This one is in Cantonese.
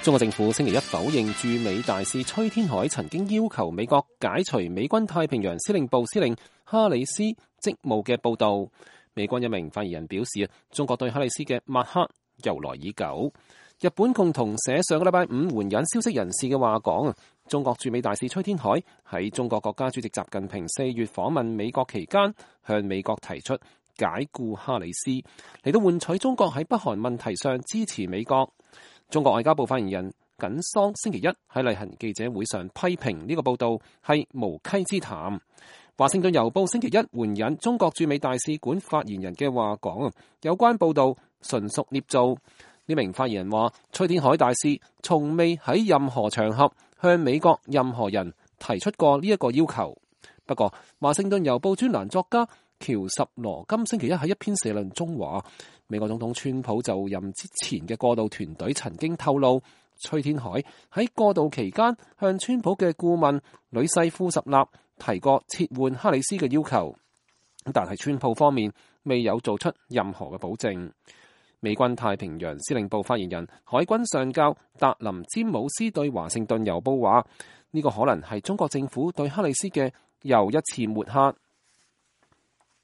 中國政府星期一否認駐美大使崔天凱曾經要求美國解除美軍太平洋司令部司令哈里斯職務嘅報道。美軍一名發言人表示，中國對哈里斯嘅抹黑由來已久。日本共同社上個禮拜五援引消息人士嘅話講，中國駐美大使崔天凱喺中國國家主席習近平4月訪問美國期間，向美國提出解僱哈里斯，嚟到換取中國喺北韓問題上支持美國。中國外交部發言人耿桑星期一喺例行記者會上批評呢個報道係無稽之談。華盛頓郵報星期一援引中國駐美大使館發言人嘅話講，有關報道純屬捏造。呢名發言人話，崔天凱大使從未喺任何場合向美國任何人提出過呢一個要求。不過，華盛頓郵報專欄作家喬什羅金星期一喺一篇社論中話，美國總統川普就任之前嘅過渡團隊曾經透露，崔天凱喺過渡期間向川普嘅顧問呂世庫什納提過撤換哈里斯嘅要求，但係川普方面未有做出任何嘅保證。美軍太平洋司令部發言人海軍上校達林詹姆斯對華盛頓郵報話，呢個可能係中國政府對哈里斯嘅又一次抹黑。